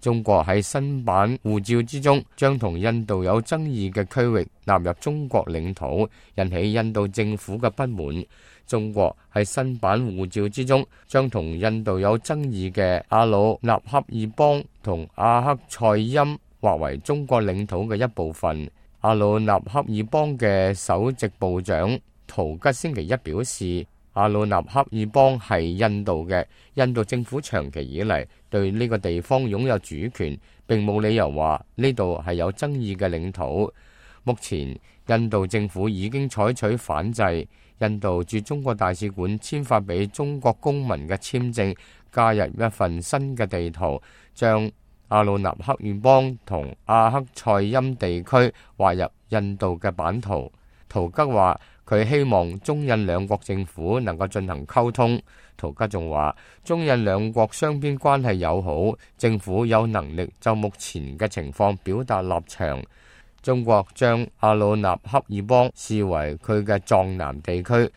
中國喺新版護照之中將同印度有爭議嘅區域納入中國領土，引起印度政府嘅不滿。中國喺新版護照之中將同印度有爭議嘅阿魯納恰爾邦同阿克塞欽劃為中國領土嘅一部分。阿魯納恰爾邦嘅首席部長圖吉星期一表示，阿魯納恰爾邦係印度嘅，印度政府長期以嚟對呢個地方擁有主權，並冇理由話呢度係有爭議嘅領土。目前印度政府已經採取反制，印度駐中國大使館簽發俾中國公民嘅簽證加入一份新嘅地圖，將阿魯納恰爾邦同阿克塞欽地區劃入印度嘅版圖。圖吉話佢希望中印兩國政府能夠進行溝通。圖吉仲話中印兩國雙邊關係友好，政府有能力就目前嘅情況表達立場。中國將阿魯納恰爾邦視為佢嘅藏南地區，